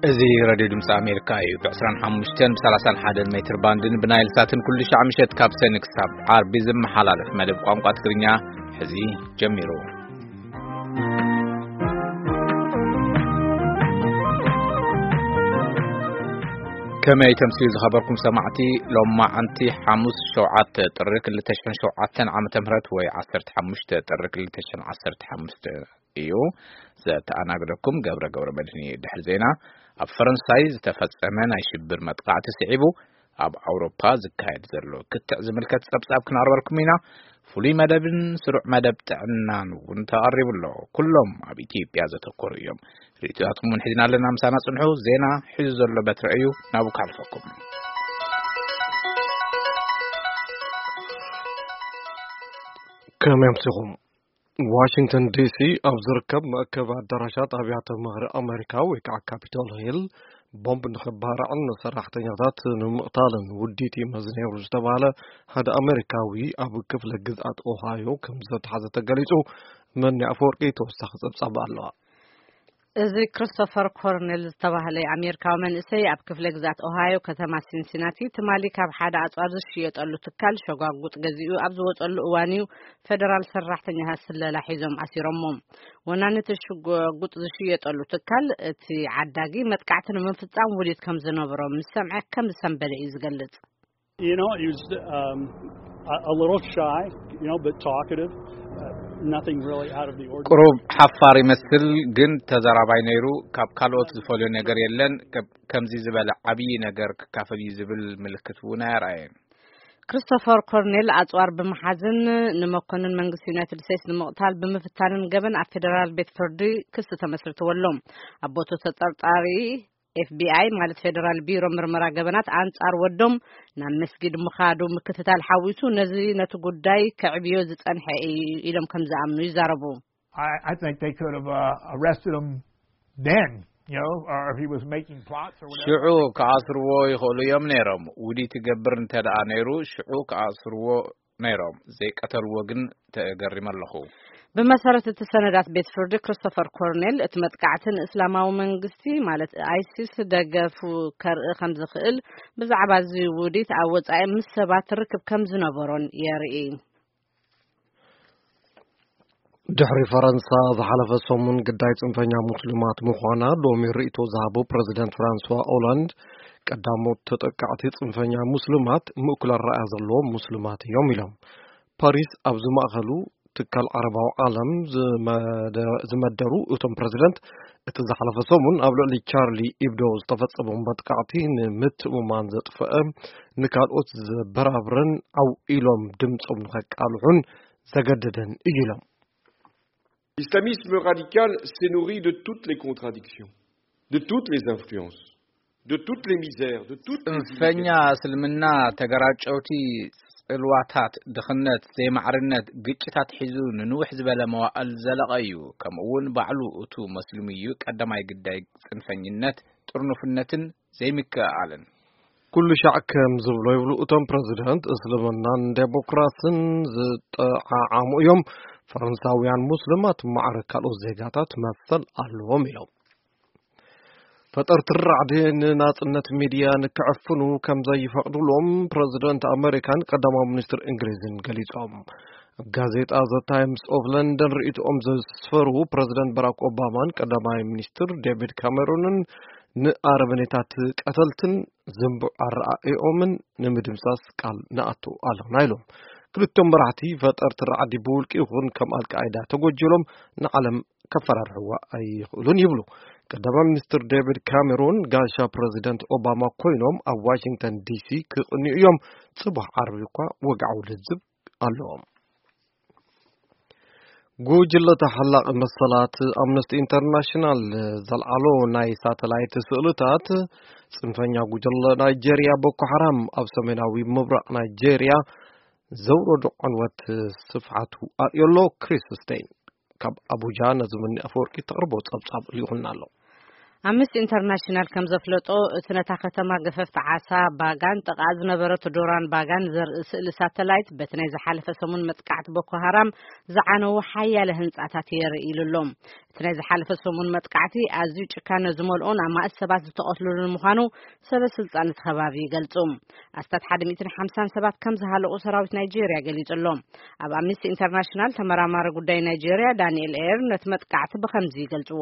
እዚ ሬድዮ ድምፂ ኣሜሪካ እዩ። ብ ዕስራን ሓሙሽተን ብ ሰላሳን ሓደን ሜትር ባንድን ብናይል ሳትን ኩሉ ሻዕ ምሸት ካብ ሰኒ ክሳብ ዓርቢ ዝመሓላለፍ መደብ ቋንቋ ትግርኛ ሕዚ ጀሚሩ። ከመይ ተምስዩ ዝኸበርኩም ሰማዕቲ፣ ሎማዓንቲ ሓሙስ ሸውዓተ ጥሪ ክልተ ሽሕን ሸውዓተን ዓመተ ምህረት ወይ ዓሰርተ ሓሙሽተ ጥሪ ክልተ ሽሕን ዓሰርተ ሓሙሽተ እዩ። ዘተኣናግደኩም ገብረ ገብረ መድህን እዩ። ድሕሪ ዜና፣ ኣብ ፈረንሳይ ዝተፈጸመ ናይ ሽብር መጥቃዕቲ ስዒቡ ኣብ ኣውሮፓ ዝካየድ ዘሎ ክትዕ ዝምልከት ጸብጻብ ክነቕርበልኩም ኢና። ፍሉይ መደብን ስሩዕ መደብ ጥዕናን እውን ተቐሪቡ ኣሎ። ኩሎም ኣብ ኢትዮጵያ ዘተኮሩ እዮም። ርእይቶታትኩም እውን ሒዝና ኣለና። ምሳና ጽንሑ። ዜና ሒዙ ዘሎ በትረ እዩ። ናብኡ ክሓልፈኩም። ከመይ ኣምሲኹም? ዋሽንግተን ዲሲ ኣብ ዝርከብ መእከቢ ኣዳራሻት ኣብያተ ምኽሪ ኣሜሪካ ወይ ከዓ ካፒቶል ሂል ቦምብ ንኽባራዕን ንሰራሕተኛታት ንምቕታልን ውዲት ይመዝ ነይሩ ዝተባህለ ሓደ ኣሜሪካዊ ኣብ ክፍለ ግዝኣት ኦሃዮ ከም ዝተሓዘ ተገሊጹ። መኒ ኣፈወርቂ ተወሳኺ ጸብጻብ ኣለዋ። እዚ ክሪስቶፈር ኮርኔል ዝተባህለ ኣሜሪካዊ መንእሰይ ኣብ ክፍለ ግዝኣት ኦሃዮ ከተማ ሲንሲናቲ ትማሊ ካብ ሓደ ኣጽዋር ዝሽየጠሉ ትካል ሸጓጉጥ ገዚኡ ኣብ ዝወጸሉ እዋን እዩ ፌደራል ሰራሕተኛታት ስለላ ሒዞም ኣሲሮሞ። ወናኒ እቲ ሽጓጉጥ ዝሽየጠሉ ትካል እቲ ዓዳጊ መጥቃዕቲ ንምፍጻም ውዲት ከም ዝነበሮ ምስ ሰምዐ ከም ዝሰንበደ እዩ ዝገልጽ። You know, he was um, a, a little shy, you know, but talkative. Uh, nothing really out of the ordinary. ቁሩብ ሓፋር ይመስል፣ ግን ተዛራባይ ነይሩ። ካብ ካልኦት ዝፈልዮ ነገር የለን። ከ- ከምዚ ዝበለ ዓብዪ ነገር ክካፈል እዩ ዝብል ምልክት እውን ኣየርኣየን። ክሪስቶፈር ኮርኔል ኣጽዋር ብምሓዝን ንመኮንን መንግስቲ ዩናይትድ ስቴትስ ንምቕታል ብምፍታንን ገበን ኣብ ፌደራል ቤት ፍርዲ ክሲ ተመስርትዎ ኣሎ። ኣቦቱ ተጠርጣሪ ኤፍቢኣይ ማለት ፌደራል ቢሮ ምርመራ ገበናት ኣንጻር ወዶም ናብ መስጊድ ምኻዱ ምክትታል ሓዊሱ ነዚ ነቲ ጉዳይ ከዕብዮ ዝጸንሐ እዩ ኢሎም ከም ዝኣምኑ ይዛረቡ። I, I think they could have uh, arrested him then, you know, or if he was making plots or whatever. ሽዑ ክኣስርዎ ይኽእሉ እዮም ነይሮም። ውዲት ይገብር እንተ ደኣ ነይሩ ሽዑ ክኣስርዎ ነይሮም። ዘይቀተልዎ ግን ተገሪመ ኣለኹ። ብመሰረት እቲ ሰነዳት ቤት ፍርዲ፣ ክሪስቶፈር ኮርኔል እቲ መጥቃዕቲ ንእስላማዊ መንግስቲ ማለት ኣይሲስ ደገፉ ከርኢ ከም ዝኽእል፣ ብዛዕባ እዚ ውዲት ኣብ ወጻኢ ምስ ሰባት ርክብ ከም ዝነበሮን የርኢ። ድሕሪ ፈረንሳ ዝሓለፈ ሰሙን ግዳይ ጽንፈኛ ሙስሊማት ምዃና ሎሚ ርእይቶ ዝሃቡ ፕረዚደንት ፍራንስዋ ኦላንድ፣ ቀዳሞት ተጠቃዕቲ ጽንፈኛ ሙስሊማት ምእኩል ኣረኣእያ ዘለዎም ሙስሊማት እዮም ኢሎም። ፓሪስ ኣብ ዝማእኸሉ ትካል ዓረባዊ ዓለም ዝመደ- ዝመደሩ እቶም ፕረዚደንት፣ እቲ ዝሓለፈ ሰሙን ኣብ ልዕሊ ቻርሊ ኢብዶ ዝተፈጸመ መጥቃዕቲ ንምትእምማን ዘጥፈአ፣ ንካልኦት ዘበራብርን ዓው ኢሎም ድምጾም ንኸቃልሑን ዘገደደን እዩ ኢሎም። L'islamisme radical s'est nourri de toutes les contradictions, de toutes les influences, de toutes les misères, de toutes les ጽንፈኛ እስልምና ተገራጨውቲ ጽልዋታት፣ ድኽነት፣ ዘይማዕርነት፣ ግጭታት ሒዙ ንንውሕ ዝበለ መዋእል ዘለቐ እዩ። ከምኡ እውን ባዕሉ እቱ መስሊሙ እዩ ቀዳማይ ግዳይ ጽንፈኝነት፣ ጥርኑፍነትን ዘይምክእኣልን። ኩሉ ሻዕ ከም ዝብሎ ይብሉ እቶም ፕረዚደንት፣ እስልምናን ዴሞክራስን ዝጠዓዓሙ እዮም። ፈረንሳውያን ሙስሊማት ማዕረ ካልኦት ዜጋታት መሰል ኣለዎም ኢሎም። ፈጠርቲ ራዕዲ ንናጽነት ሚድያ ንክዕፍኑ ከም ዘይፈቕድሎም ፕረዚደንት ኣመሪካን ቀዳማዊ ሚኒስትር እንግሊዝን ገሊጾም። ኣብ ጋዜጣ ዘ ታይምስ ኦፍ ለንደን ርእይቶኦም ዘስፈሩ ፕረዚደንት ባራክ ኦባማን ቀዳማይ ሚኒስትር ዴቪድ ካሜሮንን ንኣረመኔታት ቀተልትን ዝንቡዕ ኣረኣእዮምን ንምድምሳስ ቃል ንኣቱ ኣለና ኢሎም። ክልቲኦም መራሕቲ ፈጠርቲ ራዕዲ ብውልቂ ይኹን ከም ኣልቃይዳ ተጎጅሎም ንዓለም ከፈራርሕዋ ኣይኽእሉን ይብሉ። ቀዳማይ ሚኒስትር ዴቪድ ካሜሮን ጋሻ ፕረዚደንት ኦባማ ኮይኖም ኣብ ዋሽንግተን ዲሲ ክቕንዩ እዮም። ጽባሕ ዓርቢ እኳ ወግዓዊ ልዝብ ኣለዎም። ጉጅለ ተሓላቒ መሰላት ኣምነስቲ ኢንተርናሽናል ዘልዓሎ ናይ ሳተላይት ስእልታት፣ ጽንፈኛ ጉጅለ ናይጄርያ ቦኮ ሓራም ኣብ ሰሜናዊ ምብራቕ ናይጄርያ ዘውረዶ ዕንወት ስፍሓቱ ኣርእዮ ኣሎ። ክሪስ ስቴይን ካብ ኣቡጃ ነዚ ምኒ ኣፈወርቂ ተቕርቦ ጸብጻብ ልኢኹልና ኣሎ። ኣምነስቲ ኢንተርናሽናል ከም ዘፍለጦ፣ እቲ ነታ ከተማ ገፈፍቲ ዓሳ ባጋን ጥቓ ዝነበረት ዶራን ባጋን ዘርኢ ስእሊ ሳተላይት፣ በቲ ናይ ዝሓለፈ ሰሙን መጥቃዕቲ ቦኮ ሃራም ዝዓነዉ ሓያለ ህንጻታት የርኢ ኢሉ ኣሎ። እቲ ናይ ዝሓለፈ ሰሙን መጥቃዕቲ ኣዝዩ ጭካነ ዝመልኦን ኣማእት ሰባት ዝተቐትሉሉን ምዃኑ ሰበ ስልጣን እቲ ከባቢ ይገልጹ። ኣስታት ሓደ ሚእትን ሓምሳን ሰባት ከም ዝሃለቑ ሰራዊት ናይጄርያ ገሊጹ ኣሎ። ኣብ ኣምነስቲ ኢንተርናሽናል ተመራማሪ ጉዳይ ናይጄርያ ዳንኤል ኤር ነቲ መጥቃዕቲ ብኸምዚ ይገልጽዎ።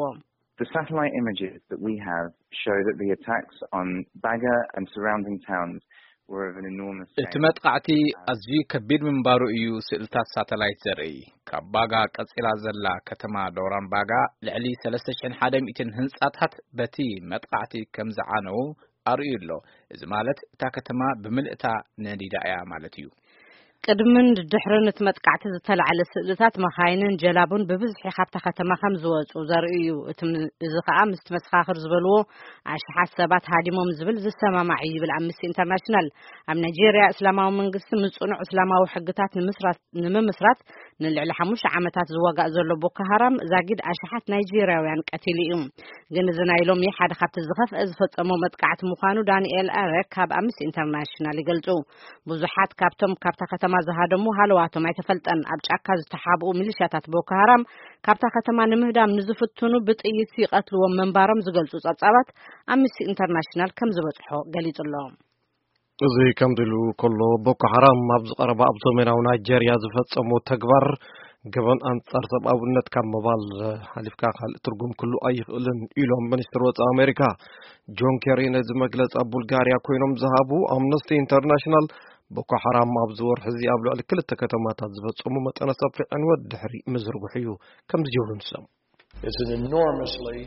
The satellite images that we have show that the attacks on Baga and surrounding towns were of an enormous እቲ scale. መጥቃዕቲ ኣዝዩ ከቢድ ምንባሩ እዩ ስእልታት ሳተላይት ዘርኢ። ካብ ባጋ ቀጺላ ዘላ ከተማ ዶራን ባጋ ልዕሊ ሰለስተ ሽሕን ሓደ ሚእትን ህንጻታት በቲ መጥቃዕቲ ከም ዝዓነዉ ኣርእዩ ኣሎ። እዚ ማለት እታ ከተማ ብምልእታ ነዲዳ እያ ማለት እዩ። ቅድምን ድሕርን እቲ መጥቃዕቲ ዝተላዕለ ስእልታት መኻይንን ጀላቡን ብብዝሒ ካብታ ከተማ ከም ዝወጹ ዘርኢ እዩ። እቲ ም-፣ እዚ ከኣ ምስቲ መሰኻኽር ዝበልዎ ኣሽሓት ሰባት ሃዲሞም ዝብል ዝሰማማዕ እዩ ይብል ኣምነስቲ ኢንተርናሽናል። ኣብ ናይጄርያ እስላማዊ መንግስቲ ምስ ጽኑዕ እስላማዊ ሕግታት ንምስራት፣ ንምምስራት ንልዕሊ ሓሙሽተ ዓመታት ዝዋጋእ ዘሎ ቦኮ ሃራም ዛጊድ ኣሽሓት ናይጄርያውያን ቀቲሉ እዩ። ግን እዚ ናይ ሎሚ ሓደ ካብቲ ዝኸፍአ ዝፈጸሞ መጥቃዕቲ ምዃኑ ዳንኤል ኣረክ ካብ ኣምነስቲ ኢንተርናሽናል ይገልጹ። ብዙሓት ካብቶም ካብታ ከተማ ዝሃደሙ ሃለዋቶም ኣይተፈልጠን። ኣብ ጫካ ዝተሓብኡ ሚሊሻታት ቦኮ ሃራም ካብታ ከተማ ንምህዳም ንዝፍትኑ ብጥይት ይቐትልዎም ምንባሮም ዝገልጹ ጸብጻባት ኣምነስቲ ኢንተርናሽናል ከም ዝበጽሖ ገሊጹ ኣሎ። እዚ ከምዚ ኢሉ ከሎ፣ ቦኮ ሓራም ኣብ ዝቐረባ ኣብ ሰሜናዊ ናይጄርያ ዝፈጸሞ ተግባር ገበን ኣንጻር ሰብኣውነት ካብ ምባል ሓሊፍካ ካልእ ትርጉም ክህሉ ኣይኽእልን ኢሎም ሚኒስትር ወጻኢ ኣሜሪካ። ጆን ኬሪ ነዚ መግለጺ ኣብ ቡልጋርያ ኮይኖም ዝሃቡ፣ ኣምነስቲ ኢንተርናሽናል ቦኮ ሓራም ኣብዚ ወርሒ እዚ ኣብ ልዕሊ ክልተ ከተማታት ዝፈጸሙ መጠነ ሰፊሕ ዕንወት ድሕሪ ምዝርግሑ እዩ ከምዚ ይብሉ ንሶም። It's an enormously,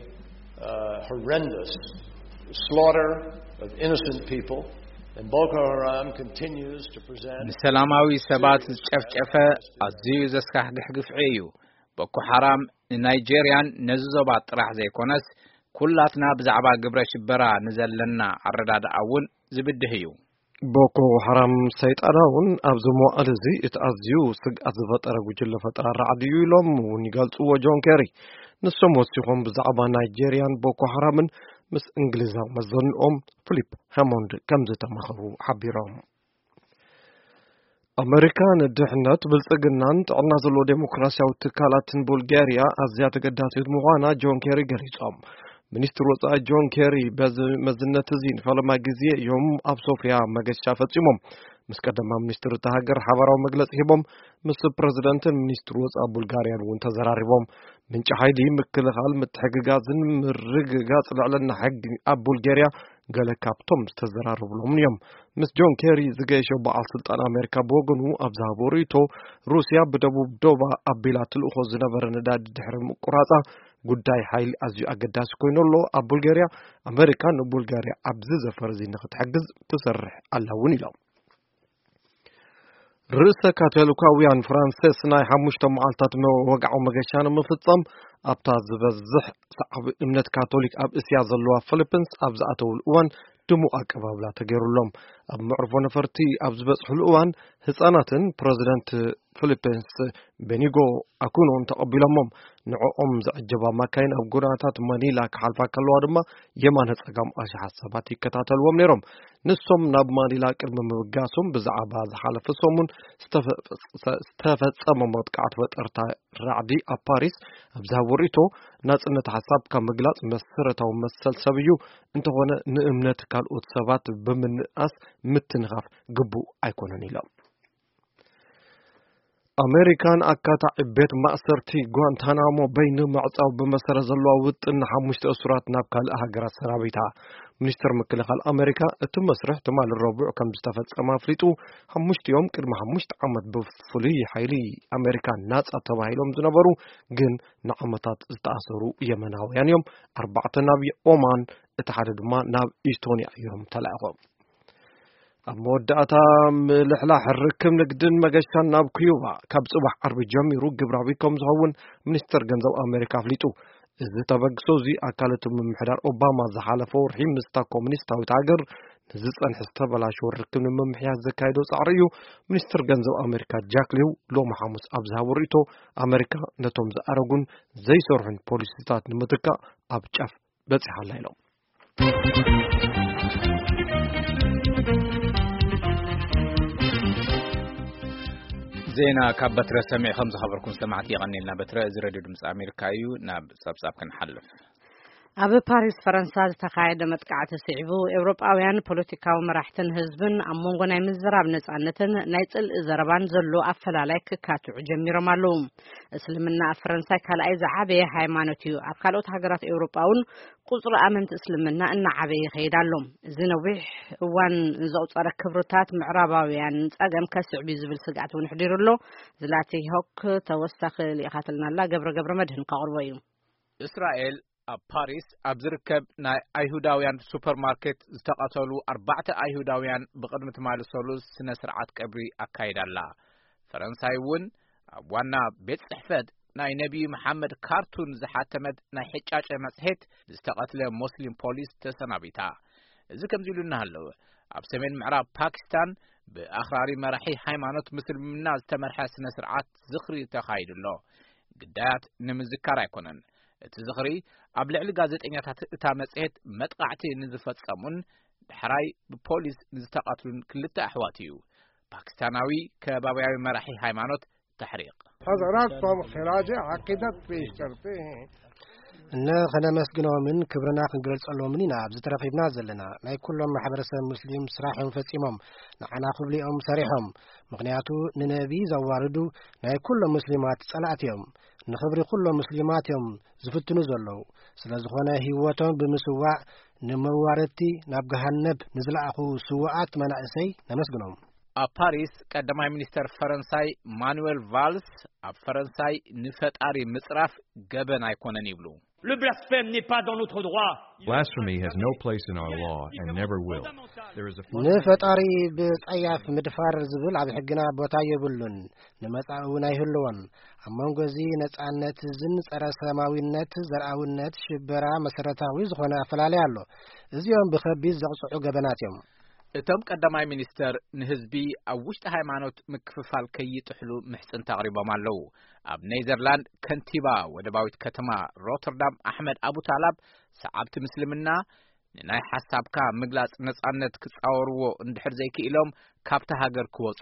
uh, horrendous slaughter of innocent people, and Boko Haram continues to present ንሰላማዊ ሰባት ዝጨፍጨፈ ኣዝዩ ዘስካሕግሕ ግፍዒ እዩ። ቦኮ ሓራም ንናይጄርያን ነዚ ዞባ ጥራሕ ዘይኮነስ፣ ኩላትና ብዛዕባ ግብረ ሽበራ ንዘለና ኣረዳድኣ እውን ዝብድህ እዩ። ቦኮ ሓራም ሰይጣናውን ኣብዚ መዋዕል እዚ እቲ ኣዝዩ ስግኣት ዝፈጠረ ጉጅለ ፈጠራ ራዕዲ እዩ ኢሎም እውን ይገልጽዎ ጆን ኬሪ። ንሶም ወሲኾም ብዛዕባ ናይጄርያን ቦኮ ሓራምን ምስ እንግሊዛዊ መዘንኦም ፊሊፕ ሃሞንድ ከም ዝተማኸሩ ሓቢሮም። ኣመሪካ ንድሕነት፣ ብልጽግናን ጥዕና ዘለዎ ዴሞክራሲያዊ ትካላትን ቡልጋርያ ኣዝያ ተገዳሲት ምዃና ጆን ኬሪ ገሊጾም። ሚኒስትር ወጻኢ ጆን ኬሪ በዚ መዝነት እዚ ንፈለማ ግዜ እዮም ኣብ ሶፍያ መገሻ ፈጺሞም። ምስ ቀዳማይ ሚኒስትር እታ ሃገር ሓባራዊ መግለጺ ሂቦም፣ ምስ ፕረዚደንትን ሚኒስትር ወጻኢ ቡልጋርያን እውን ተዘራሪቦም። ምንጪ ሓይሊ፣ ምክልኻል፣ ምትሕግጋዝን ምርግጋጽ ልዕልና ሕጊ ኣብ ቡልጋርያ ገለ ካብቶም ዝተዘራረብሎም እዮም። ምስ ጆን ኬሪ ዝገየሸ በዓል ስልጣን ኣሜሪካ ብወገኑ ኣብ ዝሃቦ ርእይቶ፣ ሩስያ ብደቡብ ዶባ ኣቢላ ትልእኾ ዝነበረ ነዳዲ ድሕሪ ምቁራጻ፣ ጉዳይ ሓይሊ ኣዝዩ ኣገዳሲ ኮይኑ ኣሎ። ኣብ ቡልጋርያ፣ ኣሜሪካ ንቡልጋርያ ኣብዚ ዘፈር እዚ ንክትሕግዝ ትሰርሕ ኣላ እውን ኢሎም። ርእሰ ካቶሊካውያን ፍራንሲስ ናይ ሓሙሽተ መዓልታት መ-፣ ወግዓዊ መገሻ ንምፍጻም ኣብታ ዝበዝሕ ሰዓቢ እምነት ካቶሊክ ኣብ እስያ ዘለዋ ፊሊፒንስ ኣብ ዝኣተውሉ እዋን ድሙቕ ኣቀባብላ ተገይሩሎም። ኣብ መዕርፎ ነፈርቲ ኣብ ዝበጽሕሉ እዋን ህጻናትን ፕረዚደንት ፊሊፒንስ ቤኒጎ ኣኩኖን ተቐቢሎሞም። ንዕኦም ዘዐጀባ ማካይን ኣብ ጎደናታት ማኒላ ክሓልፋ ከለዋ ድማ የማነ ጸጋም ኣሽሓት ሰባት ይከታተልዎም ነይሮም። ንሶም ናብ ማኒላ ቅድሚ ምብጋሶም ብዛዕባ ዝሓለፈ ሰሙን ዝተፈ-፣ ዝተፈጸመ መጥቃዕቲ ፈጠርታ ራዕዲ ኣብ ፓሪስ ኣብ ዝሃቦ ርእይቶ፣ ናጽነት ሓሳብካ ምግላጽ መሰረታዊ መሰል ሰብ እዩ፣ እንተኾነ ንእምነት ካልኦት ሰባት ብምንኣስ ምትንኻፍ ግቡእ ኣይኮነን ኢሎም። ኣሜሪካን ኣካታዒ ቤት ማእሰርቲ ጓንታናሞ በይ ንምዕጻው ብመሰረት ዘለዋ ውጥን ንሓሙሽተ እሱራት ናብ ካልእ ሃገራት ሰናቢታ። ሚኒስትር ምክልኻል ኣሜሪካ እቲ መስርሕ ትማሊ ረቡዕ ከም ዝተፈጸመ ኣፍሊጡ፣ ሓሙሽቲኦም ቅድሚ ሓሙሽተ ዓመት ብፍሉይ ሓይሊ ኣሜሪካ ናጻ ተባሂሎም ዝነበሩ ግን ንዓመታት ዝተኣሰሩ የመናውያን እዮም። ኣርባዕተ ናብ ኦማን፣ እቲ ሓደ ድማ ናብ ኢስቶንያ እዮም ተላኢኾም። ኣብ መወዳእታ፣ ምልሕላሕ ርክብ ንግድን መገሻን ናብ ኩዩባ ካብ ጽባሕ ዓርቢ ጀሚሩ ግብራዊ ከም ዝኸውን ሚኒስተር ገንዘብ ኣሜሪካ ኣፍሊጡ። እዚ ተበግሶ እዚ ኣካል እቲ ምምሕዳር ኦባማ ዝሓለፈ ወርሒ ምስታ ኮሙኒስታዊት ሃገር ንዝጸንሐ ዝተበላሸወ ርክብ ንምምሕያሽ ዘካየዶ ጻዕሪ እዩ። ሚኒስተር ገንዘብ ኣሜሪካ ጃክ ሊው ሎሚ ሓሙስ ኣብ ዝሃቦ ርእይቶ፣ ኣሜሪካ ነቶም ዝኣረጉን ዘይሰርሑን ፖሊሲታት ንምትካእ ኣብ ጫፍ በጺሓ ኣላ ኢሎም። ዜና ካብ በትረ ሰሚዕኹም ዝኸበርኩም ሰማዕቲ የቐንየልና። በትረ፣ እዚ ሬድዮ ድምፂ ኣሜሪካ እዩ። ናብ ጸብጻብ ክንሓልፍ። ኣብ ፓሪስ ፈረንሳ ዝተኻየደ መጥቃዕቲ ስዒቡ፣ ኤውሮጳውያን ፖለቲካዊ መራሕትን ህዝብን ኣብ መንጎ ናይ ምዝራብ ነጻነትን ናይ ጽልኢ ዘረባን ዘሎ ኣፈላላይ ክካትዑ ጀሚሮም ኣለዉ። እስልምና ኣብ ፈረንሳይ ካልኣይ ዝዓበየ ሃይማኖት እዩ። ኣብ ካልኦት ሃገራት ኤውሮጳ እውን ቁጽሪ ኣመንቲ እስልምና እናዓበየ ይኸይድ ኣሎ። እዚ ነዊሕ እዋን ዘቑጸረ ክብርታት ምዕራባውያን ጸገም ከስዕብ እዩ ዝብል ስግኣት እውን ኣሕዲሩ ኣሎ። ዝላቲ ሆክ ተወሳኺ ልኢኻትልና ኣላ። ገብረ ገብረ መድህን ከቕርቦ እዩ። እስራኤል ኣብ ፓሪስ ኣብ ዝርከብ ናይ ኣይሁዳውያን ሱፐርማርኬት ዝተቐተሉ ኣርባዕተ ኣይሁዳውያን ብቕድሚ ትማሊ ሰሉስ ስነ ስርዓት ቀብሪ ኣካይዳ ኣላ። ፈረንሳይ እውን ኣብ ዋና ቤት ጽሕፈት ናይ ነቢዩ መሓመድ ካርቱን ዝሓተመት ናይ ሕጫጨ መጽሔት ዝተቐትለ ሞስሊም ፖሊስ ተሰናቢታ። እዚ ከምዚ ኢሉ እናሃለወ፣ ኣብ ሰሜን ምዕራብ ፓኪስታን ብኣኽራሪ መራሒ ሃይማኖት ምስልምና ዝተመርሐ ስነ ስርዓት ዝኽሪ ተኻይዱ ኣሎ። ግዳያት ንምዝካር ኣይኮነን። እቲ ዝኽሪ ኣብ ልዕሊ ጋዜጠኛታት እታ መጽሔት መጥቃዕቲ ንዝፈጸሙን ዳሕራይ ብፖሊስ ንዝተቐትሉን ክልተ ኣሕዋት እዩ። ፓኪስታናዊ ከባብያዊ መራሒ ሃይማኖት ተሕሪቕ። حضراتكم خراج عقیدت پیش کرتے ہیں። እነ ኸነመስግኖምን ክብርና ክንገልጸሎምን ኢና ኣብዚ ተረኺብና ዘለና። ናይ ኩሎም ማሕበረሰብ ሙስሊም ስራሕ እዮም ፈጺሞም። ንዓና ክብሉ እዮም ሰሪሖም። ምኽንያቱ ንነቢ ዘዋርዱ ናይ ኩሎም ሙስሊማት ጸላእቲ እዮም። ንኽብሪ ኩሎም ሙስሊማት እዮም ዝፍትኑ ዘለዉ። ስለ ዝኾነ ህይወቶም ብምስዋእ ንመዋረድቲ ናብ ገሃነብ ንዝለኣኹ ስዉኣት መናእሰይ ነመስግኖም። ኣብ ፓሪስ ቀዳማይ ሚኒስተር ፈረንሳይ ማኑዌል ቫልስ ኣብ ፈረንሳይ ንፈጣሪ ምጽራፍ ገበን ኣይኮነን ይብሉ። Le blasphème n'est pas dans notre droit. Blasphemy has no place in our law and never will. There is a fundamental ንፈጣሪ ብጸያፍ ምድፋር ዝብል ኣብ ሕግና ቦታ የብሉን፣ ንመጻኢ እውን ኣይህልዎን። ኣብ መንጎ እዚ ነጻነት እዝን ጸረ ሰማዊነት፣ ዘርኣውነት፣ ሽበራ መሰረታዊ ዝኾነ ኣፈላለይ ኣሎ። እዚኦም ብኸቢድ ዘቕጽዑ ገበናት እዮም። እቶም ቀዳማይ ሚኒስተር ንህዝቢ ኣብ ውሽጢ ሃይማኖት ምክፍፋል ከይጥሕሉ ምሕጽንታ ኣቕሪቦም ኣለዉ። ኣብ ኔዘርላንድ ከንቲባ ወደባዊት ከተማ ሮተርዳም ኣሕመድ ኣቡታላብ ሰዓብቲ ምስልምና ንናይ ሓሳብካ ምግላጽ ነጻነት ክጻወርዎ እንድሕር ዘይክኢሎም ካብታ ሃገር ክወጹ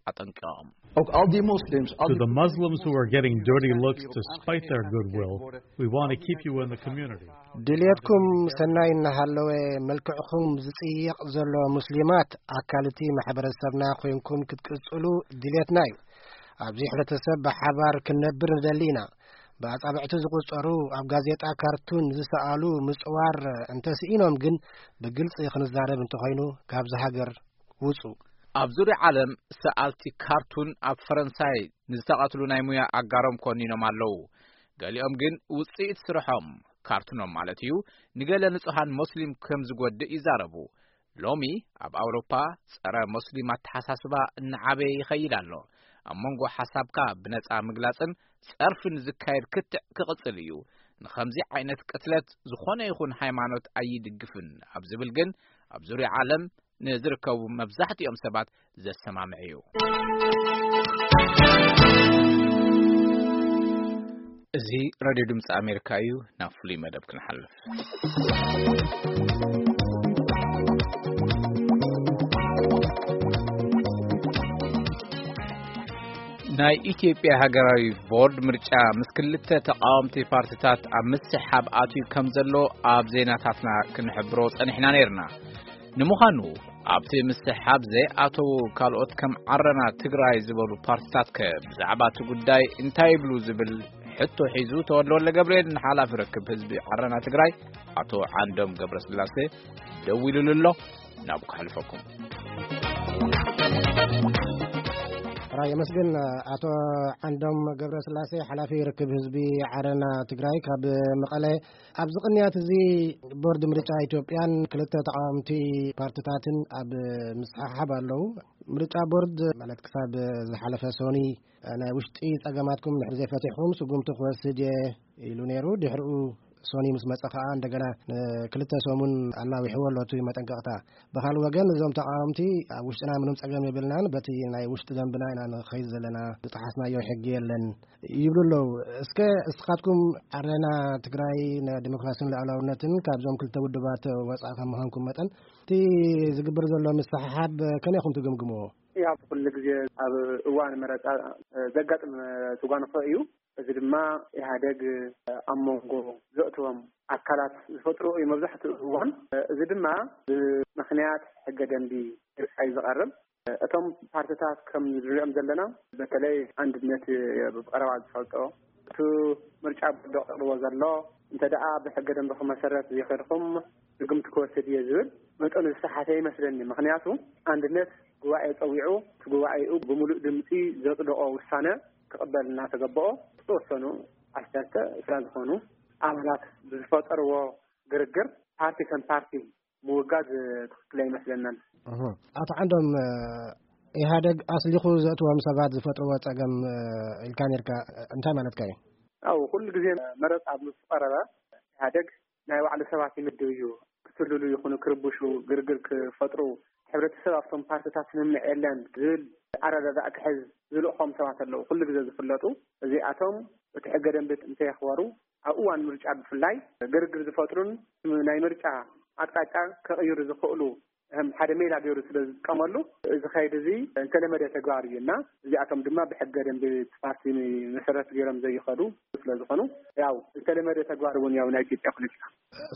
ኣጠንቂቖም። Ook al die moslims, al To die the Muslims who are getting dirty looks despite their goodwill, we want to keep you in the community. ድልየትኩም ሰናይ እናሃለወ መልክዕኹም ዝጽየቕ ዘሎ ሙስሊማት ኣካል እቲ ማሕበረሰብና ኮይንኩም ክትቅጽሉ ድልየትና እዩ። ኣብዚ ሕብረተሰብ ብሓባር ክንነብር ንደሊ ኢና። ብኣጻብዕቲ ዝቑጸሩ ኣብ ጋዜጣ ካርቱን ዝሰኣሉ ምጽዋር እንተስኢኖም ግን ብግልጺ ክንዛረብ እንተኾይኑ ካብዚ ሃገር ውጹ። ኣብ ዙርያ ዓለም ሰኣልቲ ካርቱን ኣብ ፈረንሳይ ንዝተቐትሉ ናይ ሙያ ኣጋሮም ኮኒኖም ኣለዉ። ገሊኦም ግን ውጽኢት ስርሖም፣ ካርቱኖም ማለት እዩ፣ ንገለ ንጹሃን ሞስሊም ከም ዝጎድእ ይዛረቡ። ሎሚ ኣብ ኣውሮፓ ጸረ ሞስሊም ኣተሓሳስባ እናዓበየ ይኸይድ ኣሎ። ኣብ መንጎ ሓሳብካ ብነጻ ምግላጽን ጸርፍን ዝካየድ ክትዕ ክቕጽል እዩ። ንኸምዚ ዓይነት ቅትለት ዝኾነ ይኹን ሃይማኖት ኣይድግፍን ኣብ ዝብል ግን ኣብ ዙርያ ዓለም ንዝርከቡ መብዛሕትኦም ሰባት ዘሰማምዕ እዩ። እዚ ሬድዮ ድምፂ ኣሜሪካ እዩ። ናብ ፍሉይ መደብ ክንሓልፍ። ናይ ኢትዮጵያ ሃገራዊ ቦርድ ምርጫ ምስ ክልተ ተቃወምቲ ፓርቲታት ኣብ ምስሕሓብ ኣትዩ ከም ዘሎ ኣብ ዜናታትና ክንሕብሮ ጸኒሕና ነይርና። ንምዃኑ ኣብቲ ምስሕሓብ ዘይኣተዉ ካልኦት ከም ዓረና ትግራይ ዝበሉ ፓርቲታት ከ ብዛዕባ እቲ ጉዳይ እንታይ ይብሉ ዝብል ሕቶ ሒዙ ተወልደ ወልደ ገብርኤል ንሓላፊ ርክብ ህዝቢ ዓረና ትግራይ ኣቶ ዓንዶም ገብረስላሴ ደዊሉሉ ኣሎ። ናብ ከሕልፈኩም። ራይ የመስግን። ኣቶ ዓንዶም ገብረስላሴ ሓላፊ ርክብ ህዝቢ ዓረና ትግራይ ካብ መቐለ። ኣብዚ ቅንያት እዚ ቦርድ ምርጫ ኢትዮጵያን ክልተ ተቃወምቲ ፓርቲታትን ኣብ ምስሕሓብ ኣለዉ። ምርጫ ቦርድ ማለት ክሳብ ዝሓለፈ ሶኒ ናይ ውሽጢ ጸገማትኩም እንድሕር ዘይፈቲሕኩም ስጉምቲ ክወስድ እየ ኢሉ ነይሩ። ድሕሪኡ ሶኒ ምስ መጸ ከኣ እንደገና ንክልተ ሰሙን ኣላዊሕዎ ኣሎ እቲ መጠንቀቕታ። ብኻልእ ወገን እዞም ተቓወምቲ ኣብ ውሽጥና ምንም ጸገም የብልናን፣ በቲ ናይ ውሽጢ ደንብና ኢና ንኸይድ ዘለና፣ ዝጠሓስናዮ ሕጊ የለን ይብሉ ኣለዉ። እስከ እስኻትኩም ዓረና ትግራይ ንዲሞክራሲን ልዕላውነትን ካብዞም ክልተ ውድባት ወጻኢ ከም ምዃንኩም መጠን እቲ ዝግበር ዘሎ ምስሕሓብ ከመይ ኢኹም ትግምግምዎ? ያው ኩሉ ግዜ ኣብ እዋን መረጻ ዘጋጥም ትጓንፎ እዩ። እዚ ድማ ኢህኣደግ ኣብ መንጎ ዘእትዎም ኣካላት ዝፈጥሮ እዩ መብዛሕትኡ እዋን። እዚ ድማ ብምኽንያት ሕገ ደንቢ ድርቃ እዩ ዝቐርብ። እቶም ፓርቲታት ከም ንሪኦም ዘለና በተለይ ኣንድነት ብቐረባ ዝፈልጦ እቲ ምርጫ ቦርድ ኣቕርቦ ዘሎ እንተ ደኣ ብሕገ ደንብኹም መሰረት ዘይኸድኩም ስጉምቲ ክወስድ እየ ዝብል መጠኑ ዝሰሓተ ይመስለኒ። ምኽንያቱ ኣንድነት ጉባኤ ጸዊዑ እቲ ጉባኤኡ ብምሉእ ድምፂ ዘጽደቖ ውሳነ ክቕበል እናተገበኦ ዝተወሰኑ ዓሰርተ ዕስራ ዝኾኑ ኣባላት ብዝፈጠርዎ ግርግር ፓርቲ ከም ፓርቲ ምውጋድ ትኽክል ኣይመስለናን። ኣቶ ዓንዶም፣ ኢህኣደግ ኣስሊኹ ዘእትዎም ሰባት ዝፈጥርዎ ጸገም ኢልካ ነርካ፣ እንታይ ማለትካ እዩ? ኣው ኩሉ ግዜ መረጻ ኣብ ምስ ቀረበ ኢህኣደግ ናይ ባዕሉ ሰባት ይምድብ እዩ። ክስልሉ ይኹኑ ክርብሹ ግርግር ክፈጥሩ ሕብረተሰብ ኣብቶም ፓርቲታት ስምምዕ የለን ዝብል ኣረዳድኣ ክሕዝ ዝልእኾም ሰባት ኣለዉ ኩሉ ግዜ ዝፍለጡ። እዚኣቶም እቲ ሕገ ደንቢ እንተየኽበሩ ኣብ እዋን ምርጫ ብፍላይ ግርግር ዝፈጥሩን ናይ ምርጫ ኣቅጣጫ ከቕይሩ ዝኽእሉ ከም ሓደ ሜላ ገይሩ ስለ ዝጥቀመሉ እዚ ኸይድ እዚ እንተለመደ ተግባር እዩ እና እዚኣቶም ድማ ብሕገ ደንቢ ፓርቲ መሰረት ገይሮም ዘይኸዱ ስለ ዝኾኑ ያው እንተለመደ ተግባር እውን ያው ናይ ኢትዮጵያ ፖለቲካ።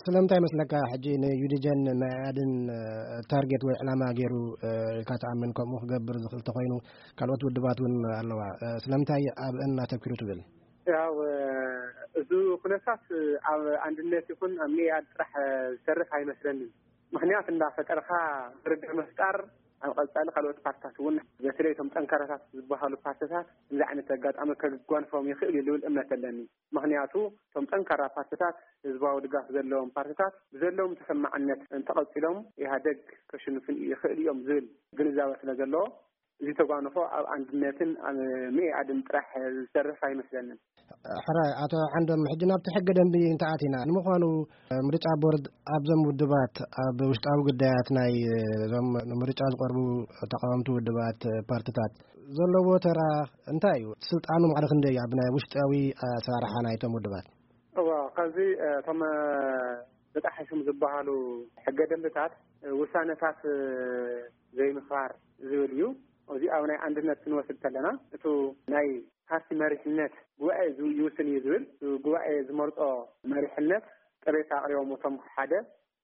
ስለምንታይ መስለካ ሕጂ ንዩዲጀን መያድን ታርጌት ወይ ዕላማ ገይሩ ኢልካ ትኣምን? ከምኡ ክገብር ዝኽእል ተኮይኑ ካልኦት ውድባት እውን ኣለዋ። ስለምንታይ ኣብእን ኣተኪሩ ትብል? ያው እዚ ኩነታት ኣብ ኣንድነት ይኹን ኣብ መያድ ጥራሕ ዝተርፍ ኣይመስለንን። ምኽንያት እንዳፈጠርካ ግርግር ምፍጣር ኣብ ቀጻሊ ካልኦት ፓርትታት እውን በተለይ እቶም ጠንካራታት ዝበሃሉ ፓርትታት እዚ ዓይነት ኣጋጣሚ ከጓንፎም ይኽእል እዩ ዝብል እምነት ኣለኒ። ምኽንያቱ እቶም ጠንካራ ፓርትታት ህዝባዊ ድጋፍ ዘለዎም ፓርትታት ብዘለዎም ተሰማዕነት እንተቐጺሎም ኢህኣደግ ከሽንፍን ይኽእል እዮም ዝብል ግንዛበ ስለ ዘለዎ እዚ ተጓንፎ ኣብ ኣንድነትን ኣብ መኢኣድን ጥራሕ ዝተርፍ ኣይመስለንን። ሕራይ ኣቶ ዓንዶም፣ ሕጂ ናብቲ ሕገ ደንቢ እንተኣቲና ንምዃኑ ምርጫ ቦርድ ኣብዞም ውድባት ኣብ ውሽጣዊ ጉዳያት ናይ እዞም ንምርጫ ዝቐርቡ ተቃወምቲ ውድባት ፓርትታት ዘለዎ ተራ እንታይ እዩ? ስልጣኑ ማዕረ ክንደይ እዩ ኣብ ናይ ውሽጣዊ ኣሰራርሓ ናይቶም ውድባት? እዋ ካብዚ እቶም ተጣሒሶም ዝበሃሉ ሕገ ደንብታት ውሳነታት ዘይምኽባር ዝብል እዩ። እዚ ኣብ ናይ ኣንድነት ክንወስድ ከለና እቱ ናይ ፓርቲ መሪሕነት ጉባኤ ይውስን እዩ ዝብል ጉባኤ ዝመርጦ መሪሕነት ቅሬታ ኣቅሪቦም እቶም ሓደ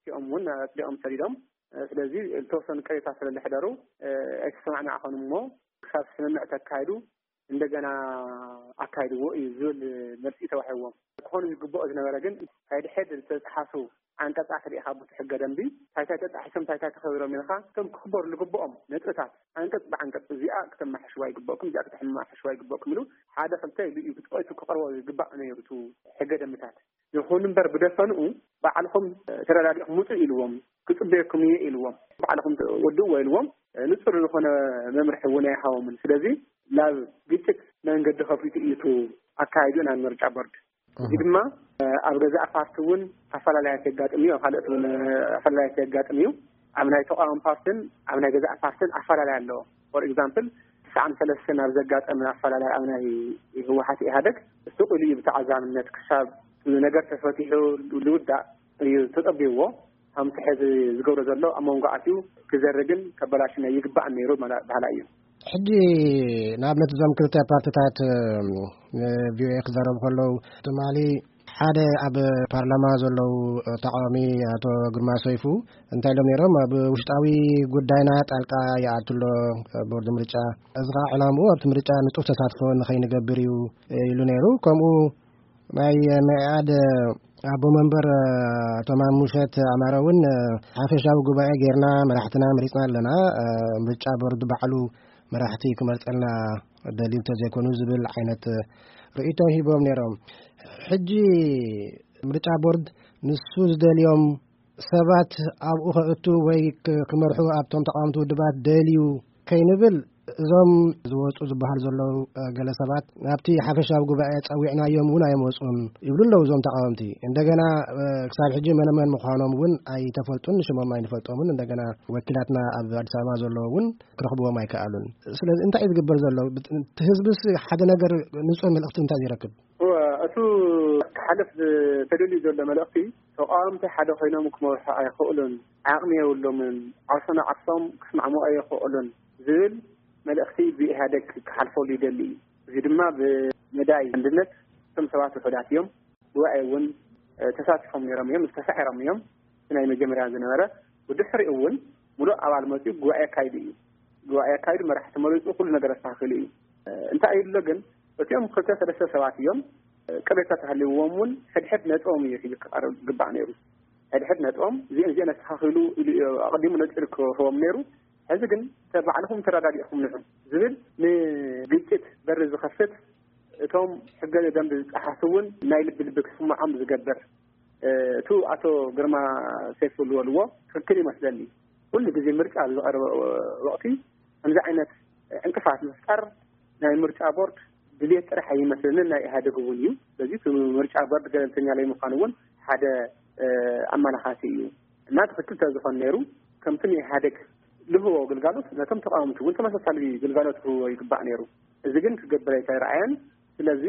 እቲኦም እውን ኣፅዲቆም ሰዲዶም። ስለዚ ዝተወሰኑ ቅሬታ ስለ ዝሕደሩ ኣይተሰማዕማዕኸን እሞ ክሳብ ስምምዕ ተካይዱ እንደገና ኣካይድዎ እዩ ዝብል መልሲ ተዋሂብዎም። ክኾኑ ዝግብኦ ዝነበረ ግን ሳይድሕድ ዝተፅሓፉ ዓንቀፃት ርኢኻ ቦቲ ሕገ ደንቢ ታይታይ ተጣሒሶም ታይታይ ተኸቢሮም ኢልካ እቶም ክኽበሩ ዝግብኦም ነጥብታት ዓንቀፅ ብዓንቀፅ እዚኣ ክተማሕሽዋ ይግበእኩም እዚኣ ክተማሕሽዋ ይግበእኩም ኢሉ ሓደ ክልተ ኢሉ እዩ ብጥቂቱ ክቐርቦ ዝግባእ ነይሩ እቲ ሕገ ደንብታት። ይኹን እምበር ብደፈንኡ ባዕልኹም ተረዳዲእኩም ውፁ ኢልዎም ክፅበየኩም እየ ኢልዎም ባዕልኹም ወድእዎ ኢልዎም ንፁር ዝኾነ መምርሒ እውን ኣይሃቦምን። ስለዚ ናብ ግጭት መንገዲ ከፊቱ እዩ እቲ ኣካይድኡ ናይ ምርጫ ቦርድ። እዚ ድማ ኣብ ገዛእ ፓርቲ እውን ኣፈላላያት የጋጥም እዩ ኣብ ካልኦት እውን ኣፈላላያት የጋጥም እዩ። ኣብ ናይ ተቃዋሚ ፓርትን ኣብ ናይ ገዛእ ፓርትን ኣፈላላይ ኣለዎ። ፎር ኤግዛምፕል ትስዓን ሰለስተን ኣብ ዘጋጠመ ኣፈላላይ ኣብ ናይ ህወሓት ኢህኣደግ ስቕ ኢሉ እዩ ብተዓዛብነት ክሳብ ነገር ተፈቲሑ ዝውዳእ እዩ ተፀቢዎ። ከምቲ ሕዚ ዝገብሮ ዘሎ ኣብ መንጎ ኣትዩ ክዘርግን ከበላሽን ኣይግባእን ነይሩ ባህላ እዩ። ሕጂ ንኣብነት እዞም ክልተ ፓርትታት ንቪኦኤ ክዛረቡ ከለዉ ትማሊ ሓደ ኣብ ፓርላማ ዘለዉ ተቃዋሚ ኣቶ ግርማ ሰይፉ እንታይ ኢሎም ነይሮም? ኣብ ውሽጣዊ ጉዳይና ጣልቃ ይኣቱ ኣሎ ቦርድ ምርጫ፣ እዚ ከዓ ዕላምኡ ኣብቲ ምርጫ ንጡፍ ተሳትፎ ንኸይንገብር እዩ ኢሉ ነይሩ። ከምኡ ናይ መኢኣድ ኣቦ መንበር ኣቶ ማሙሸት ኣማረ እውን ሓፈሻዊ ጉባኤ ጌርና መራሕትና መሪፅና ኣለና፣ ምርጫ ቦርድ ባዕሉ መራሕቲ ክመርፀልና ደልዩ እንተዘይኮኑ ዝብል ዓይነት ርእይቶ ሂቦም ነይሮም። ሕጂ ምርጫ ቦርድ ንሱ ዝደልዮም ሰባት ኣብኡ ከእቱ ወይ ክመርሑ ኣብቶም ተቃወምቲ ውድባት ደልዩ ከይንብል እዞም ዝወፁ ዝበሃል ዘለዉ፣ እ፣ ገለ ሰባት ናብቲ ሓፈሻዊ ጉባኤ ጸዊዕናዮም እውን ኣይመፁን ይብሉ ኣለዉ እዞም ተቃወምቲ። እንደገና፣ እ፣ ክሳብ ሕጂ መነመን ምዃኖም እውን ኣይተፈልጡን፣ ሽሞም ኣይንፈልጦምን። እንደገና ወኪላትና ኣብ ኣዲስ ኣበባ ዘለዉ እውን ክረኽብዎም ኣይከኣሉን። ስለዚ እንታይ እዩ ዝግበር ዘሎ? ብት-፣ እቲ ህዝብስ ሓደ ነገር ንጹር መልእኽቲ እንታይ ይረክብ? እወ፣ እቱ ክሓልፍ ዝተደልዩ ዘሎ መልእኽቲ፣ ተቃወምቲ ሓደ ኮይኖም ክመርሑ ኣይኽእሉን፣ ዓቕሚ የብሎምን፣ ዓርሶ ንዓርሶም ክስማዕምዑ ኣይኽእሉን ዝብል መልእኽቲ ብኢህኣደግ ክሓልፈሉ ይደሊ እዩ። እዚ ድማ ብመዳይ ኣንድነት እቶም ሰባት ውሑዳት እዮም። ጉባኤ እውን፣ እ፣ ተሳቲፎም ነይሮም እዮም፣ ዝተሳዒሮም እዮም። እቲ ናይ መጀመርያ ዝነበረ፣ ብድሕሪኡ እውን ሙሉእ ኣባል መፂኡ ጉባኤ ኣካይዱ እዩ። ጉባኤ ኣካይዱ፣ መራሕቲ መሪፁ፣ ኩሉ ነገር ኣስተኻኺሉ እዩ። እ፣ እንታይ እዩ ኣሎ ግን፣ እቲኦም ክልተ ሰለስተ ሰባት እዮም፣ እ፣ ቅሬታ ተሃልይዎም እውን ሕድሕድ ነጥቦም እዩ ሒዙ ክቐርብ ዝግባእ ነይሩ። ሕድሕድ ነጥቦም እዚኦም እዚኦም ኣስተኻኺሉ ኢሉ እዩ ኣቐዲሙ ነፂሩ ክህቦም ነይሩ። ሕዚ ግን ተ-፣ ባዕልኹም ተረዳዲእኹም ንዑ ዝብል ንግጭት በሪ ዝኸፍት፣ እቶም ሕገ ደንብ ዝጠሓሱ እውን ናይ ልቢ ልቢ ክስምዖም ዝገብር፣ እ፣ እቱ ኣቶ ግርማ ሰይፉ ዝበልዎ ትኽክል ይመስለኒ። ኩሉ ግዜ ምርጫ ኣብ ዝቐርበ ወቕቲ ከምዚ ዓይነት ዕንቅፋት ምፍጣር ናይ ምርጫ ቦርድ ድሌት ጥራሕ ኣይመስለንን፣ ናይ ኢህኣደግ እውን እዩ። ስለዚ እቲ ምርጫ ቦርድ ገለልተኛ ለይምዃኑ እውን ሓደ፣ እ፣ ኣመላኻቲ እዩ። እና ትኽክል ተዝኾን ነይሩ፣ ከምቲ ንኢህኣደግ ልህቦ ግልጋሎት ነቶም ተቃወምቲ እውን ተመሳሳሊ ግልጋሎት ክህቦ ይግባእ ነይሩ። እዚ ግን ክገብር ኣይተረኣየን። ስለዚ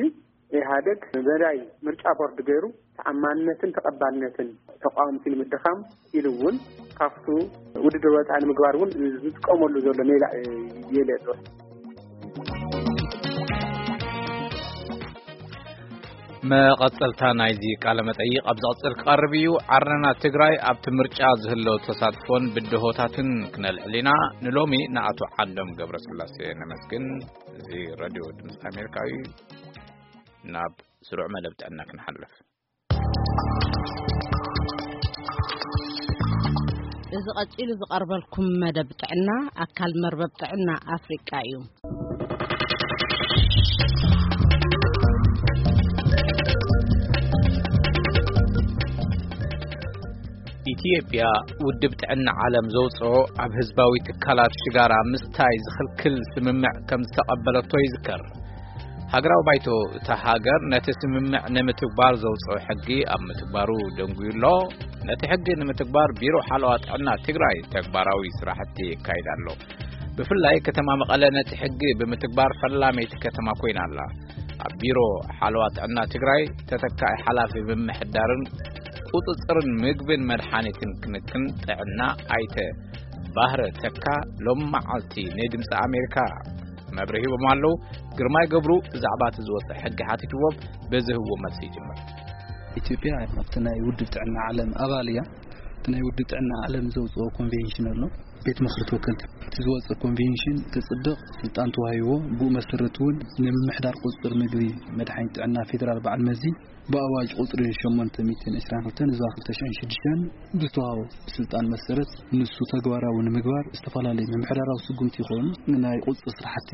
ኢህኣደግ መዳይ ምርጫ ቦርድ ገይሩ ተኣማንነትን ተቐባልነትን ተቃወምቲ ንምድኻም ኢሉ እውን ካብቱ ውድድር ወፃኢ ንምግባር እውን ዝጥቀመሉ ዘሎ ሜላ እዩ ኢለ እየ ዝወስድ። መቐጸልታ ናይዚ ቃለ መጠይቕ ኣብ ዝቕጽል ክቐርብ እዩ። ዓረና ትግራይ ኣብቲ ምርጫ ዝህለው ተሳትፎን ብድሆታትን ክነልዕል ኢና። ንሎሚ ንኣቶ ዓንዶም ገብረስላሴ ነመስግን። እዚ ሬድዮ ድምፂ ኣሜሪካ እዩ። ናብ ስሩዕ መደብ ጥዕና ክንሓልፍ። እዚ ቀጺሉ ዝቐርበልኩም መደብ ጥዕና ኣካል መርበብ ጥዕና ኣፍሪቃ እዩ። ኢትዮጵያ፣ ውድብ ጥዕና ዓለም ዘውፅኦ ኣብ ህዝባዊ ትካላት ሽጋራ ምስታይ ዝኽልክል ስምምዕ ከም ዝተቐበለቶ ይዝከር። ሃገራዊ ባይቶ እታ ሃገር ነቲ ስምምዕ ንምትግባር ዘውፅኦ ሕጊ ኣብ ምትግባሩ ደንጉዩ ኣሎ። ነቲ ሕጊ ንምትግባር ቢሮ ሓለዋ ጥዕና ትግራይ ተግባራዊ ስራሕቲ የካይድ ኣሎ። ብፍላይ ከተማ መቐለ ነቲ ሕጊ ብምትግባር ፈላመይቲ ከተማ ኮይና ኣላ። ኣብ ቢሮ ሓለዋ ጥዕና ትግራይ ተተካኢ ሓላፊ ምምሕዳርን ቁፅፅርን ምግብን መድሓኒትን ክንክን ጥዕና ኣይተ ባህረ ተካ ሎም መዓልቲ ንድምፂ ኣሜሪካ መብርሂ ሂቦም ኣለዉ። ግርማይ ገብሩ ብዛዕባ እቲ ዝወፀ ሕጊ ሓቲትዎም፣ በዚ ህዎ መልሲ ይጅምር። ኢትዮጵያ ኣብቲ ናይ ውድብ ጥዕና ዓለም ኣባል እያ። እቲ ናይ ውድብ ጥዕና ዓለም ዘውፅኦ ኮንቬንሽን ኣሎ። ቤት ምኽሪ ተወከልቲ እቲ ዝወፀ ኮንቬንሽን ክፅድቕ ስልጣን ተዋሂቦ፣ ብኡ መሰረት እውን ንምምሕዳር ቁፅፅር ምግቢ መድሓኒት ጥዕና ፌዴራል በዓል መዚ ብኣዋጅ ቁፅሪ ሸሞንተ ሚእትን ዕስራን ክልተን እዛ ክልተ ሽሕን ሽዱሽተን ብዝተዋሃቦ ስልጣን መሰረት ንሱ ተግባራዊ ንምግባር ዝተፈላለዩ ምምሕዳራዊ ስጉምቲ ይኾኑ ናይ ቁፅፅር ስራሕቲ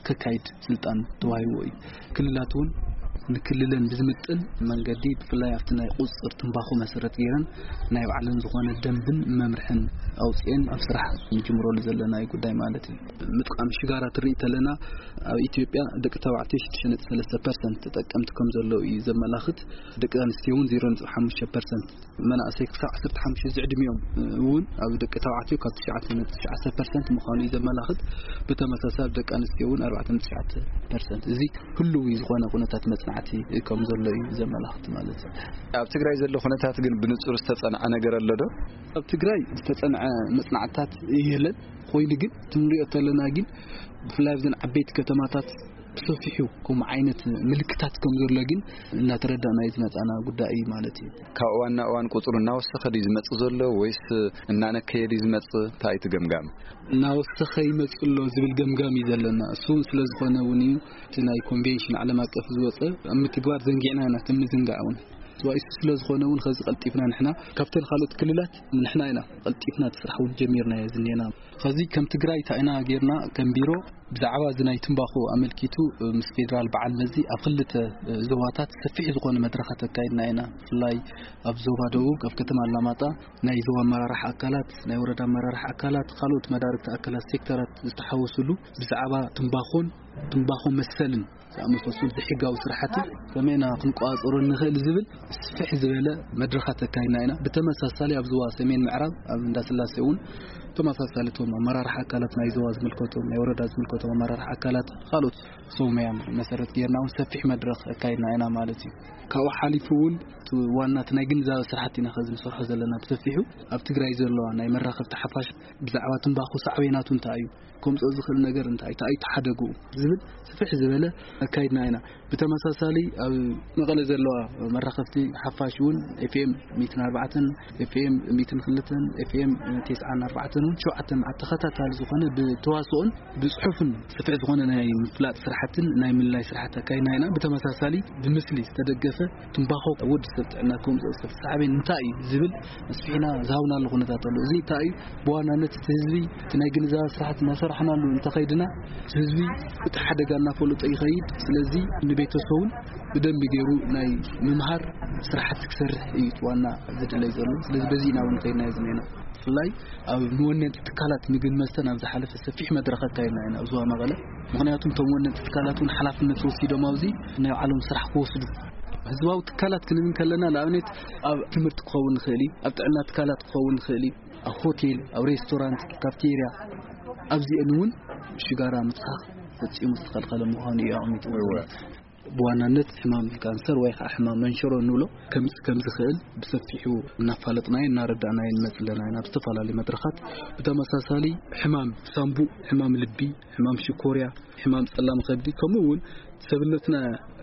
ከካይድ ስልጣን ተዋሂቦ እዩ። ክልላት እውን ንክልለን ብዝምጥን መንገዲ ብፍላይ ኣብቲ ናይ ቁፅፅር ትንባኾ መሰረት ገይረን ናይ ባዕለን ዝኾነ ደንብን መምርሕን ኣውፅኤን ኣብ ስራሕ ንጅምረሉ ዘለና ጉዳይ ማለት እዩ። ምጥቃም ሽጋራ ትርኢ ተለና ኣብ ኢትዮጵያ ደቂ ተባዕትዮ ሽዱሽተ ነጥቢ ሰለስተ ፐርሰንት ተጠቀምቲ ከም ዘለዉ እዩ ዘመላኽት። ደቂ ኣንስትዮ እውን ዜሮ ነጥቢ ሓሙሽተ ፐርሰንት፣ መናእሰይ ክሳብ ዓሰርተ ሓሙሽተ ዝዕድሚኦም እውን ኣብ ደቂ ተባዕትዮ ካብ ትሽዓተ ነጥቢ ትሽዓተ ፐርሰንት ምዃኑ እዩ ዘመላኽት። ብተመሳሳሊ ኣብ ደቂ ኣንስትዮ እውን ኣርባዕተ ነጥቢ ትሽዓተ ፐርሰንት። እዚ ህሉው ዝኾነ ኩነታት መጽናዕቲ ከም ዘሎ እዩ ዘመላኽት ማለት እዩ። ኣብ ትግራይ ዘሎ ኩነታት ግን ብንጹር ዝተጸንዐ ነገር ኣሎ ዶ? ኣብ ትግራይ ዝተጸንዐ መጽናዕትታት የለን። ኮይኑ ግን እቲ ንሪኦ ተለና ግን ብፍላይ ኣብዘን ዓበይቲ ከተማታት ብሰፊሑ ከምኡ ዓይነት ምልክታት ከም ዘሎ ግን እናተረዳእናዮ ዝመጻና ጉዳይ እዩ ማለት እዩ። ካብ እዋን ናብ እዋን ቁጽሩ እናወሰኸ ድዩ ዝመጽእ ዘሎ ወይስ እናነከየ ድዩ ዝመጽእ? እንታይ እዩ እቲ ገምጋም? እናወሰኸ ይመጽእ ኣሎ ዝብል ገምጋም እዩ ዘለና። እሱ እውን ስለ ዝኾነ እውን እዩ እቲ ናይ ኮንቬንሽን ዓለም ኣቀፍ ዝወጸ ኣብ ምትግባር ዘንጊዕና ኢና፣ እቲ ምዝንጋዕ እውን። እሱ ስለ ዝኾነ እውን ኸዚ ቀልጢፍና ንሕና ካብተን ካልኦት ክልላት ንሕና ኢና ቀልጢፍና እቲ ስራሕ እውን ጀሚርናዮ ዝኔና። ኸዚ ከም ትግራይ እንታይ ኢና ጌርና ከም ቢሮ ብዛዕባ እዚ ናይ ትምባኾ ኣመልኪቱ፣ ምስ ፌደራል በዓል መዚ ኣብ ክልተ ዞባታት ሰፊሕ ዝኾነ መድረኻት ኣካይድና ኢና። ብፍላይ ኣብ ዞባ ደቡብ፣ ኣብ ከተማ ኣላማጣ፣ ናይ ዞባ ኣመራርሓ ኣካላት፣ ናይ ወረዳ ኣመራርሓ ኣካላት፣ ካልኦት መዳርግቲ ኣካላት፣ ሴክተራት ዝተሓወሱሉ፣ ብዛዕባ ትምባኾን ትምባኾ መሰልን ዝኣመሳሰሉ ዘይሕጋዊ ስራሕቲ ከመይ ኢና ክንቆጻጸሮ ንኽእል ዝብል ስፍሕ ዝበለ መድረኻት ኣካይድና ኢና። ብተመሳሳሊ ኣብ ዞባ ሰሜን ምዕራብ ኣብ እንዳስላሴ እውን ተመሳሳሊ እቶም ኣመራርሓ ኣካላት ናይ ዞባ ዝምልከቶም፣ ናይ ወረዳ ዝምልከቶም ኣመራርሓ ኣካላት፣ ካልኦት ሰብ ሞያን መሰረት ጌርና እውን ሰፊሕ መድረኽ ኣካይድና ኢና ማለት እዩ። ካብኡ ሓሊፉ እውን እቲ ዋና እቲ ናይ ግንዛበ ስራሕቲ ኢና ከዚ ንሰርሖ ዘለና ብሰፊሑ። ኣብ ትግራይ ዘለዋ ናይ መራኸብቲ ሓፋሽ ብዛዕባ ትምባኾ ሳዕቤናቱ እንታይ እዩ፣ ከምፅኦ ዝኽእል ነገር እንታይ፣ እንታይ እዩ ተሓደግኡ ዝብል ስፍሕ ዝበለ ኣካይድና ኢና። ብተመሳሳሊ ኣብ መቐለ ዘለዋ መራኸብቲ ሓፋሽ እውን ኤፍኤም ሚእትን ኣርባዕተን፣ ኤፍኤም ሚእትን ክልተን፣ ኤፍኤም ተስዓን ኣርባዕተን እውን ሸውዓተ መዓልቲ ተኸታታሊ ዝኾነ ብተዋስኦን ብጽሑፍን ስፍሕ ዝኾነ ናይ ምፍላጥ ስራሕትን ናይ ምልላይ ስራሕቲ ኣካይድና ኢና። ብተመሳሳሊ ብምስሊ ዝተደገፈ ትምባኾ ኣብ ወዲ ሰብ ጥዕና ከምፅኦ ዝኽእል ሳዕቤን እንታይ እዩ ዝብል ኣስፊሕና ዝሃብናሉ ኩነታት ኣሎ። እዚ እንታይ እዩ? ብዋናነት እቲ ህዝቢ እቲ ናይ ግንዛበ ስራሕቲ እናሰራሕናሉ እንተኸይድና፣ እቲ ህዝቢ እቲ ሓደጋ እናፈለጦ ይኸይድ። ስለዚ ንቤተሰቡን ብደንቢ ገይሩ ናይ ምምሃር ስራሕቲ ክሰርሕ እዩ እቲ ዋና ዝድለይ ዘሎ። ስለዚ በዚ ኢና እውን ከይድናዮ ዝኒአና። ብፍላይ ኣብ መወነንቲ ትካላት ምግብን መስተን ኣብ ዝሓለፈ ሰፊሕ መድረኽ ኣካይድና ኢና ኣብ ዞባ መቐለ። ምኽንያቱ እቶም ወነንቲ ትካላት እውን ሓላፍነት ወሲዶም ኣብዚ ናይ ባዕሎም ስራሕ ክወስዱ። ህዝባዊ ትካላት ክንብል ከለና ንኣብነት ኣብ ትምህርቲ ክኸውን ይኽእል እዩ፣ ኣብ ጥዕና ትካላት ክኸውን ይኽእል እዩ፣ ኣብ ሆቴል፣ ኣብ ሬስቶራንት፣ ካፍቴርያ፣ ኣብዚአን እውን ሽጋራ ምትካኽ ፈጺሙ ዝተኸልኸለ ምዃኑ እዩ ኣቐሚጡ። እወ። ብዋናነት ሕማም ካንሰር ወይ ከዓ ሕማም መንሸሮ እንብሎ ከምጽእ ከም ዝኽእል ብሰፊሑ እናፋለጥናዮ እናረዳእናዮ ንመጽእ ኣለና ኢና ኣብ ዝተፈላለዩ መድረኻት። ብተመሳሳሊ ሕማም ሳምቡእ፣ ሕማም ልቢ፣ ሕማም ሽኮርያ፣ ሕማም ጸላም ከብዲ፣ ከምኡ እውን ሰብነትና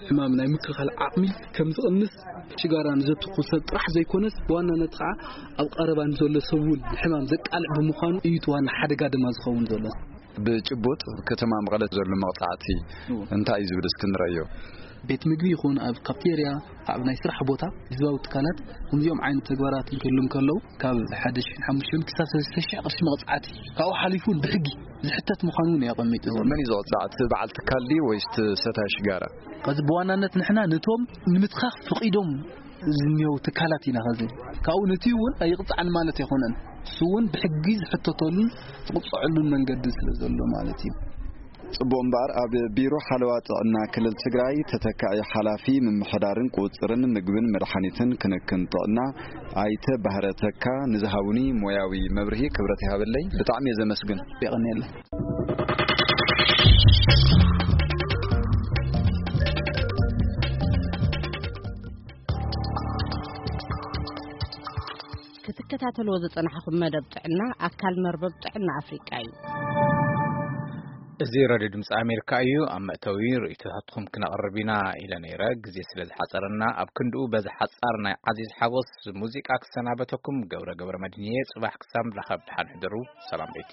ሕማም ናይ ምክልኻል ዓቕሚ ከም ዝቕንስ ሽጋራ ንዘትኩ ሰብ ጥራሕ ዘይኮነስ ብዋናነት ከዓ ኣብ ቀረባ ንዘሎ ሰብ እውን ሕማም ዘቃልዕ ብምዃኑ እዩ እቲ ዋና ሓደጋ ድማ ዝኸውን ዘሎ። ብጭቡጥ ከተማ መቐለ ዘሎ መቕጻዕቲ እዎ። እንታይ እዩ ዝብል እስኪ ንረዮ። ቤት ምግቢ ይኹን ኣብ ካፍቴርያ፣ ኣብ ናይ ስራሕ ቦታ፣ ህዝባዊ ትካላት ከምዚኦም ዓይነት ተግባራት እንክህሉ እንከለዉ ካብ ሓደ ሽሕን ሓሙሽተ መእትን ክሳብ ሰለስተ ሽሕ ቅርሺ መቕጻዕቲ ካብኡ ሓሊፉ እውን ብሕጊ ዝሕተት ምዃኑ እውን እዩ ኣቐሚጡ ዘሎ። መን እዩ ዝቕጻዕ? እቲ በዓል ትካል ድዩ ወይስ እቲ ሰታይ ሽጋራ? ከዚ ብዋናነት ንሕና ነቶም ንምትኻኽ ፍቒዶም ዝኒአው ትካላት ኢና። ከዚ ካብኡ ነቲ እውን ኣይቕጻዕን ማለት ኣይኮነን። እሱ እውን ብሕጊ ዝሕተተሉን ዝቕጽዐሉን መንገዲ ስለ ዘሎ ማለት እዩ። ጽቡቕ እምበኣር፣ ኣብ ቢሮ ሓለዋ ጥዕና ክልል ትግራይ ተተካኢ ሓላፊ ምምሕዳርን ቁጽርን ምግብን መድሓኒትን ክንክን ጥዕና ኣይተ ባህረ ተካ ንዝሃቡኒ ሞያዊ መብርሂ ክብረት ይሃበለይ። ብጣዕሚ እየ ዘመስግን። የቐንየለይ። ክትከታተልዎ ዝጸናሕኹም መደብ ጥዕና ኣካል መርበብ ጥዕና ኣፍሪቃ እዩ። እዚ ሬድዮ ድምፂ ኣሜሪካ እዩ። ኣብ መእተዊ ርእይቶታትኩም ክነቕርብ ኢና ኢለ ነይረ። ግዜ ስለ ዝሓፀረና፣ ኣብ ክንድኡ በዚ ሓፃር ናይ ዓዚዝ ሓጎስ ሙዚቃ ክሰናበተኩም ገብረ ገብረ መድህን እየ። ጽባሕ ክሳብ ንራኸብ ደሓን ሕደሩ። ሰላም ቤቲ።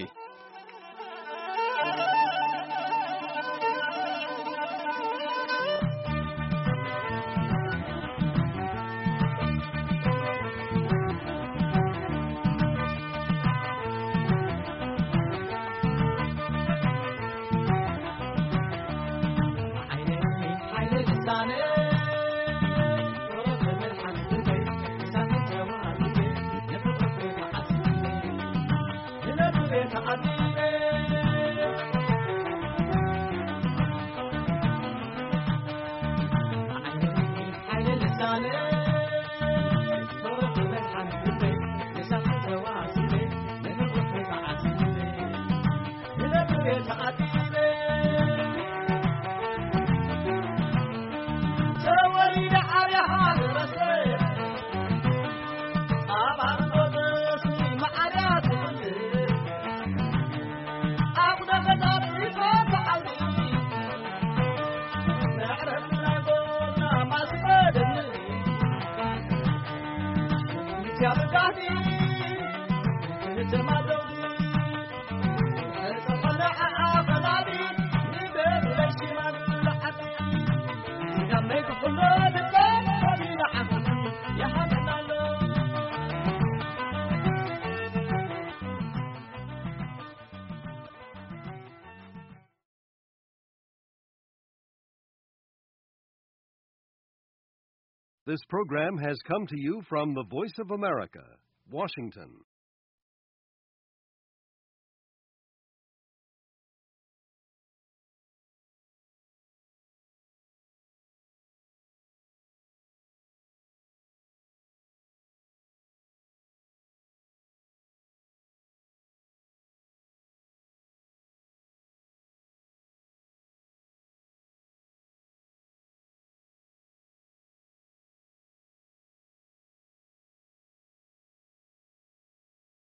This program has come to you from the Voice of America, Washington.